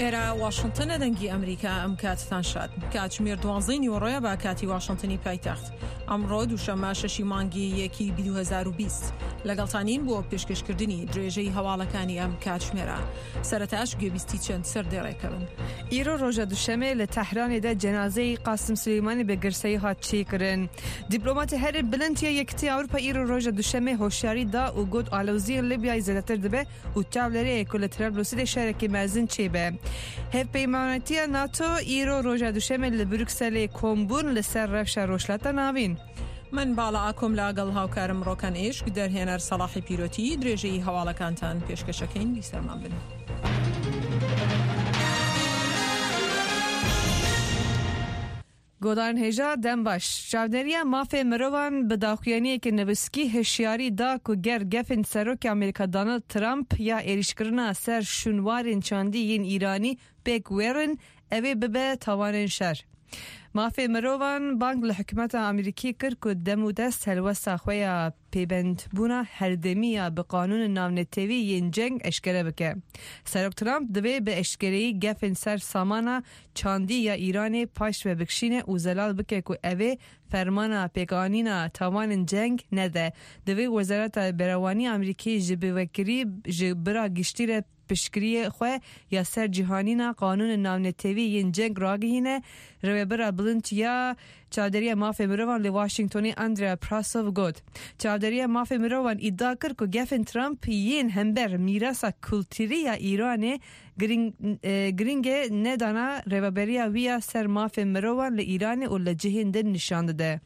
ئێرە واشنتنە دەنگی ئەمریکا ئەم کاتتان شاد کاتژمێر دوانزەی نیوەڕۆیە بە کاتی واشنتنی پایتەخت ئەمڕۆ دووشەممە شەشی مانگی یەکی 2020 لەگەڵتانین بۆ پێشکەشکردنی درێژەی هەواڵەکانی ئەم کاتژمێرە سەرەتاش گوێبیستی چەند سەردێڕێکە بن. Îro roja duşemê li Tehranê de cenazeyê Qasim Suleymanî bi girseyî hat çêkirin. Dîplomatê herî bilind ya Yekîtiya Ewropa îro roja duşemê hoşyarî da û got aloziyên Libyayê zêdetir dibe û çavlêrê ye ku li Trablusê dê şerekî mezin çêbe. Hevpeymanetiya NATO îro roja duşemê li Brukselê kom bûn li ser rewşa Rojhilata Navîn. من باڵا ئاکۆم لاگەڵ هاوکارم ڕۆکەن ئیشک دەرهێنەر سەڵاحی پیرۆتی درێژەی هەواڵەکانتان پێشکەشەکەین بیسەرمان بن. Godarên hêja dem baş. Çavdêriya mafê mirovan bi daxuyaniyeke nivîskî hişyarî da ku ger gefên Serokê Amerîka Donald Trump ya êrîşkirina ser şûnwarên çandî yên Îranî pêk werin ew ê bibe tawanên şer. Mafê mirovan bang li hikûmeta Amerîkî kir ku demûdest helwesta xwe ya pêbendbûna herdemî ya bi qanûnên navnetewî yên ceng eşkere bike. Serok Trump divê bi eşkereyî gefên ser samana çandî ya Îranê paş ve bikişîne û zelal bike ku ev ê fermana pêkanîna tawanên ceng nede. Divê Wezareta Berevanî Amerîkî ji bi vekirî ji bira giştî re piştgiriyê xwe ya ser cihanîna qanûnên navnetewî yên ceng ragihîne, Rêvebira Bilind ya Çavdêriya Mafê Mirovan li Washingtonê Andrea Prasov got. Çavdêriya Mafê Mirovan îdia kir ku gefên Trump yên hember mîrasa kulturî ya Îranê girîngê nedana rêveberiya wî ya ser mafê mirovan li Îranê û li cihên din nîşan dide.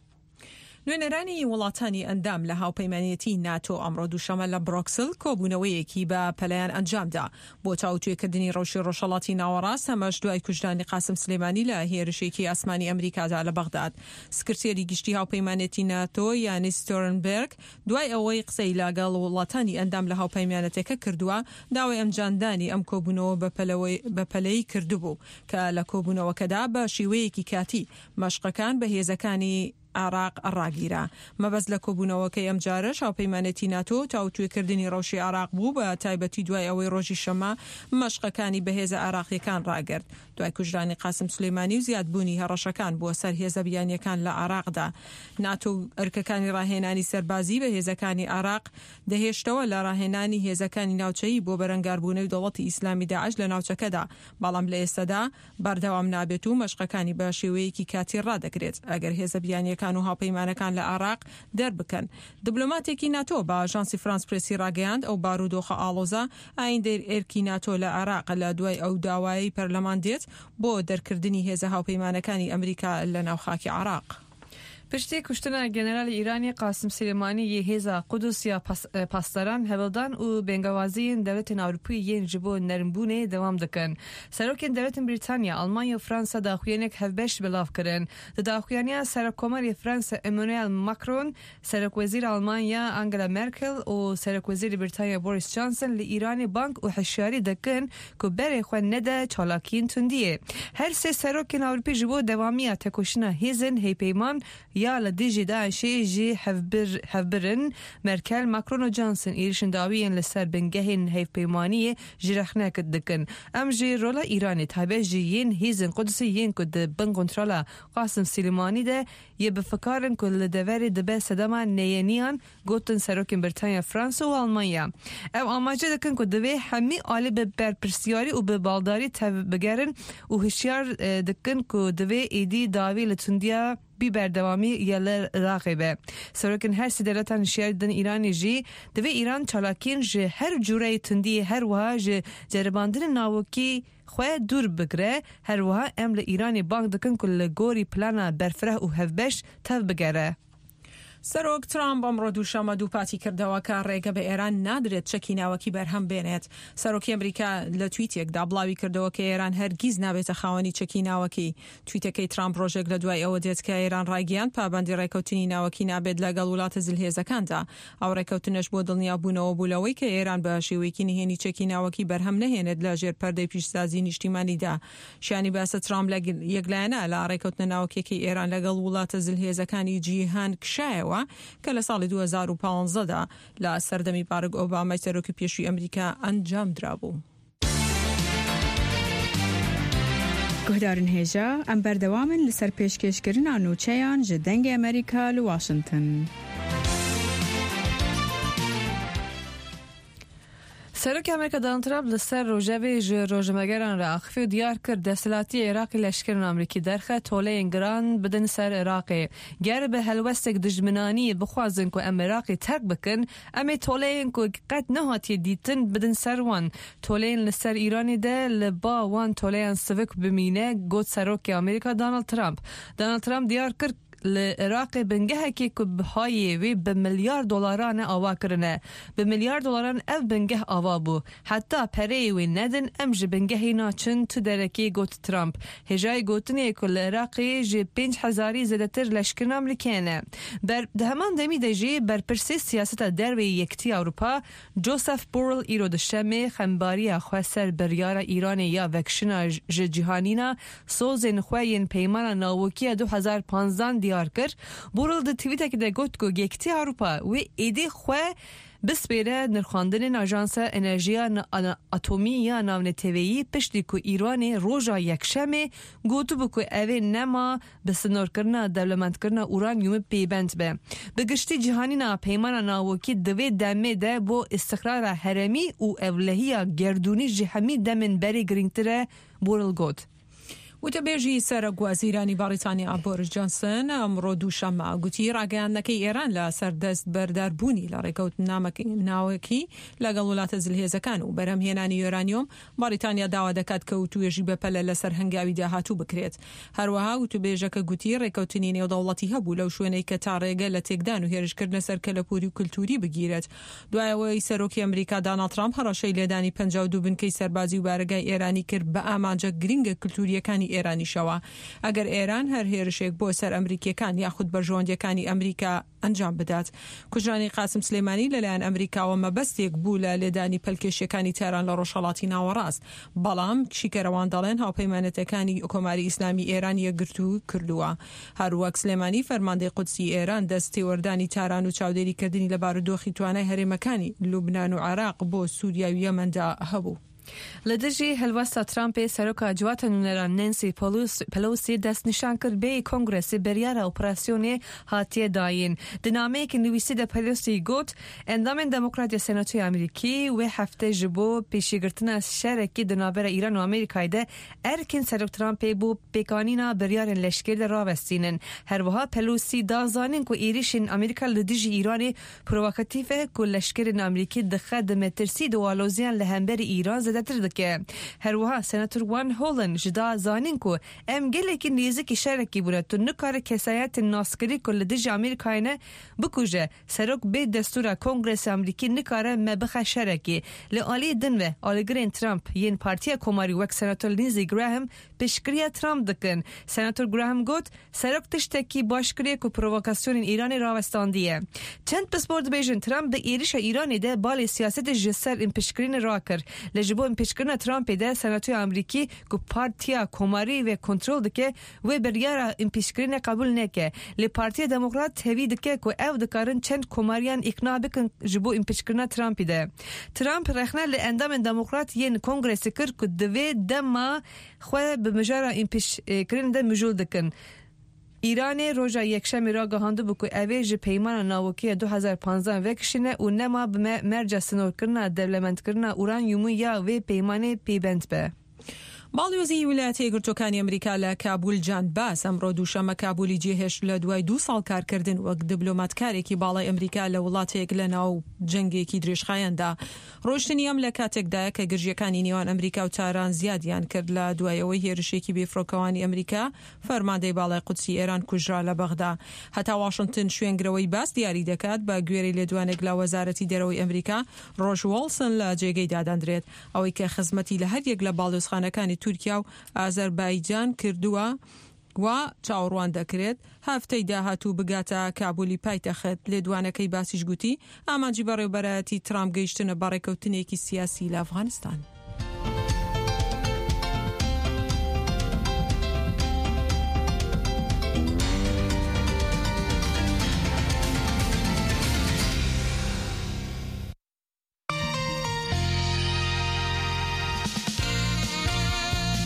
نوێنەرانی وڵاتانی ئەندام لە هاوپەیمانێتی ناتۆ ئەمڕۆ دووشەمە لە برۆکسل کۆبوونەوەیەکی بە پەلەیان ئەنجامدا بۆ تاوتوێکردنی ڕەوشی ڕۆژهەڵاتی ناوەڕاست، ئەمەش دوای کوژرانی قاسم سلێمانی لە هێرشێکی ئاسمانی ئەمریکادا لە بەغداد. سکرتێری گشتی هاوپەیمانێتی ناتۆ یانیس ستۆرنبێرگ دوای ئەوەی قسەی لەگەڵ وڵاتانی ئەندام لە هاوپەیمانێتەکە کردووە، داوای ئەنجامدانی ئەم کۆبوونەوە بەپەلەی کردبوو کە لە کۆبوونەوەکەدا بە شێوەیەکی کاتی مەشقەکان بە هێزەکانی عێراق ڕاگیرا. مەبەست لە کۆبوونەوەکەی ئەمجارەش هاوپەیمانێتی ناتۆ تاوتوێکردنی ڕەوشی عێراق بوو بە تایبەتی دوای ئەوەی ڕۆژی شەممە مەشقەکانی بە هێزە عێراقییەکان ڕاگرت دوای کوژرانی قاسم سولەیمانی و زیادبوونی هەڕەشەکان بۆ سەر هێزە بیانییەکان لە عێراقدا. ناتۆ ئەرکەکانی ڕاهێنانی سەربازی بە هێزەکانی عێراق دەهێشتەوە لە ڕاهێنانی هێزەکانی ناوچەیی بۆ بەرەنگاربوونەوی دەوڵەتی ئیسلامی داعش لە ناوچەکەدا بەڵام لە ئێستەدا بەردەوام نابێت و مەشقەکانی بە شێوەیەکی کاتی ڕادەگرێت ئەگەر هێزە بیانییەکان و هاوپەیمانەکان لە عێراق دەربکەن. دبلۆماتێکی ناتۆ بە ئاژانسی فرانس پرێسی ڕاگەیاند، ئەو بارودۆخە ئاڵۆزە ئایندەی ئەرکی ناتۆ لە عێراق لە دوای ئەو داوایەی پەرلەمان دێت بۆ دەرکردنی هێزە هاوپەیمانەکانی ئەمریکا لە ناو خاکی عێراق. Piştî kuştina Generalê Îranê Qasim Silêmanî yê Hêza Qudus ya Pasdaran hewldan û bêngewaziyên dewletên Ewropî yên ji bo nermbûnê dewam dikin. Serokên dewletên Brîtanya, Almanya û Fransa daxuyaniyek hevbeş belav kirin. Di daxuyaniya Serokkomarê Fransa Emmanuel Macron, Serokwezîra Almanya Angela Merkel û Serokwezîrê Brîtanya Boris Johnson li Îranê bang û hişyarî dikin ku berê xwe nede çalakiyên tundiyê. Her sê serokên Ewropî ji bo dewamiya tekoşîna hêzên heypeyman ya li dijî DAIŞ'ê jî hevbir in. Merkel, Macron û Johnson êrişên dawî yên li ser bingehên hevpeymaniyê jî rexne dikin. Em jî rola Îranê taybet jî yên hêzên Qudusê yên ku di bin kontrola Qasim Silêmanî de yê bi fikar in ku li deverê dibe sedema neyeniyan gotin serokên Britanya, Fransa û Almanya. Ew amaje dikin ku divê hemî alî bi berpirsyarî û bi baldarî tevbigerin û hişyar dikin ku divê êdî dawî li tundiya bî berdewamî ya li Iraqê be. Serokên her sê dewletan hişyarî didin Îranê jî, divê Îran çalakiyên ji her cureyê tundiyê her wiha ji ceribandinên navokî xwe dûr bigire, her wiha em li Îranê bang dikin ku li gorî plana berfireh û hevbeş tevbigere. سەرۆک ترامپ ئەمڕۆ دووشەممە دووپاتی کردەوە کە ڕێگە بە ئێران نادرێت چەکی ناوەکی بەرهەم بێنێت. سەرۆکی ئەمریکا لە تویتێکدا بڵاوی کردەوە کە ئێران هەرگیز نابێتە خاوەنی چەکی ناوەکی. تویتەکەی ترامپ ڕۆژێک لە دوای ئەوە دێت کە ئێران ڕایگەیاند پابەندی ڕێکەوتنی ناوەکی نابێت لەگەڵ وڵاتە زلهێزەکاندا. ئەو ڕێکەوتنەش بۆ دڵنیابوونەوە بوو لەوەی کە ئێران بە شێوەیەکی نهێنی چەکی ناوەکی بەرهەم نەهێنێت لە ژێر پەردەی پیشسازی نیشتیمانیدا. شیانی باسە ترامپ لە یەکلایەنە لە ڕێکەوتنە ناوەکیەکەی ئێران لەگەڵ وڵاتە زلهێزەکانی جیهان کشایەوە کە لە ساڵی 2015 دا لە سەردەمی بارک ئۆبامای سەرۆکی پێشووی ئەمریکا ئەنجام درابوو. Guhdarên hêja, em berdewam in li ser pêşkêşkirina nûçeyan ji Dengê Amerîka li Washington. Serokê Amerîka Donald Trump li ser rojevê ji rojnamegeran re axivî û diyar kir desthilatiyê Iraqê leşkerên Amerîkî derxe toleyên giran bidin ser Iraqê. Ger bi helwestek dijminanî bixwazin ku em Iraqê terk bikin, em ê toleyên ku qet nehatiye dîtin bidin ser wan. Toleyên li ser Îranê de li ba wan toleyan sivik bimîne, got Serokê Amerîka Donald Trump. Donald Trump diyar kir, Li Iraqê bingehekê ku bihayê wê bi milyar dolaran e ava kirine. Bi milyar dolaran ev bingeh ava bû. Heta pereyê wê nedin em ji bingehê naçin tu derekê got Trump. Hêjayê gotinê ye ku li Iraqê ji 5000 î zêdetir leşkerên Amerîkê hene. Ber di heman demî de jî berpirsê siyaseta derveyê Yekitiya Ewropa Joseph Borrell îro duşemê xembariya xwe ser biryara Îranê ya vekişina ji cîhanîna sozên xwe yên peymana navokî ya 2015 diyar kir. Borrell di twîtekê de got ku Yekitiya Ewropa wê êdî xwe bispêre nirxandinên Ajansa Enerjiya Atomî ya Navneteweyî piştî ku Îranê roja Yekşemê gotibû ku ev ê nema bi sinorkirina dewlemendkirina uranyumê pêbend be. Bi giştî cîhanîna peymana navokî di vê demê de bo îstiqrara herêmî û ewlehiya gerdûnî ji hemî demên berê girîngtir e, Borrell got. وتەبێژی سەرۆکوەزیرانی بەڕیتانیا بۆریس جۆنسن ئەمڕۆ دووشەممە گوتی ڕاگەیاندنەکەی ئێران لە سەر دەست بەرداربوونی لە ڕێکەوتنامەکەی ناوەکی لەگەڵ وڵاتە زلهێزەکان و بەرهەمهێنانی یۆرانیۆم بەڕیتانیا داوا دەکات کە وتوێژی بەپەلە لەسەر هەنگاوی داهاتوو بکرێت. هەروەها وتوبێژەکە گوتی ڕێکەوتنی نێودەوڵەتی هەبوو لەو شوێنەی کە تا ڕێگە لە تێکدان و هێرشکردنە سەر کەلەپوری و کلتوری بگیرێت. دوای ئەوەی سەرۆکی ئەمریکا داناڵد ترامپ هەڕەشەی لێدانی 52 بنکەی سەربازی و بارەگای ئێرانی کرد بە ئامانجە گرنگە کلتورییەکانی ئێرانیشەوە ئەگەر ئێران هەر هێرشێک بۆ سەر ئەمریکییەکان یاخود بەرژەوەندییەکانی ئەمریکا ئەنجام بدات. کوژرانی قاسم سلێمانی لەلایەن ئەمریکاوە مەبەستێک بوو لە لێدانی پەلکێشیەکانی تاران لە ڕۆژهەڵاتی ناوەڕاست، بەڵام شیکەرەوان دەڵێن هاوپەیمانێتەکانی کۆماری ئیسلامی ئێران یەکگرتوو کردووە. هەروەک سلێمانی فەرماندەی قودسی ئێران دەست تێوەردانی تاران و چاودێری کردنی لە بارودۆخی توانای هەرێمەکانی لوبنان و عێراق بۆ سوریا و یەمەندا هەبوو. Li dijî helwesta Trumpê Seroka Civata Nûneran Nancy Pelosi destnîşan kir bêyî Kongresê biryara operasyonê hatiye dayîn. Di nameyekî nivîsî de Pelosi got, Endamên Demokrat ya Senatoya Amerîkî wê hefte ji bo pêşîgirtina şerekî di navbera Îran û Amerîkayê de erkên Serok Trumpê bo pêkanîna biryarên leşkerî de ravestînin. Her wiha Pelosi da zanîn ku êrîşên Amerîka li dijî Îranê Provokatîf e ku leşkerên Amerîkî dixe di metirsî di aloziyan li hemberî Îran zêdetir dike. Her wiha Senator Van Hollen ji da zanîn ku em gelekî nêzikî şerekî bûne tu nikare kesayetên naskirî ku li dijî Amerîkayê ne bikuje. Serok bê destûra Kongresê Amerîkî nikare me bixe şerekî. Li aliyê din ve alîgirên Trump yên Partiya Komarî wek Senator Lindsey Graham piştgiriya Trump dikin. Senator Graham got, Serok tiştekî baş kiriye ku provokasyonên Îranê rawestandiye. Çend pispor dibêjin Trump di êrîşa Îranê de balê siyasetê ji ser împiçkirinê rakir. Lê ji bo împiçkirina Trumpê de Senatoya Amerîkî ku Partiya Komarî wê kontrol dike wê biryara împiçkirinê qebûl neke. Lê Partiya Demokrat hevî dike ku ew dikarin çend komariyan îqna bikin ji bo împiçkirina Trumpî de. Trump rexne li endamên Demokrat yên Kongresê kir ku divê dema xwe bi mijara împiçkirinê de mijûl dikin. Îranê roja Yekşemê ragihandibû ku ev ê ji peymana navokî ya 2015 vekişîne û nema bi merca sinorkirina dewlemendkirina uranyûmû ya vê peymanê pêbend be. باڵیۆزی ویلایەتە یەکگرتووەکانی ئەمریکا لە کابول جان باس ئەمڕۆ دووشەممە کابولی جێهێشت لە دوای دوو ساڵ کارکردن وەک دبلۆماتکارێکی باڵای ئەمریکا لە وڵاتێک لە ناو جەنگێکی درێژخایەندا. ڕۆیشتنی ئەم لە کاتێکدایە کە گرژییەکانی نێوان ئەمریکا و تاران زیادیان کرد لە دوای ئەوەی هێرشێکی بێفڕۆکەوانی ئەمریکا فەرماندەی باڵای قودسی ئێران کوژرا لە بەغدا هەتا واشنتن شوێنگرەوەی باس دیاری دەکات. بە گوێرەی لێدوانێک لە وەزارەتی دەرەوەی ئەمریکا ڕۆژ وۆڵسن لە جێگەی دادەندرێت ئەوەی کە خزمەتی لە هەریەک لە باڵیۆزخانەکانی تورکیا و ئازەربایجان کردووە وا چاوەڕوان دەکرێت هەفتەی داهاتوو بگاتە کابولی پایتەخت. لێدوانەکەی باسیش گوتی، ئامانجی بەڕێوەبەرایەتی ترامپ گەیشتنە بە ڕێککەوتنێکی سیاسی لە ئەفغانستان.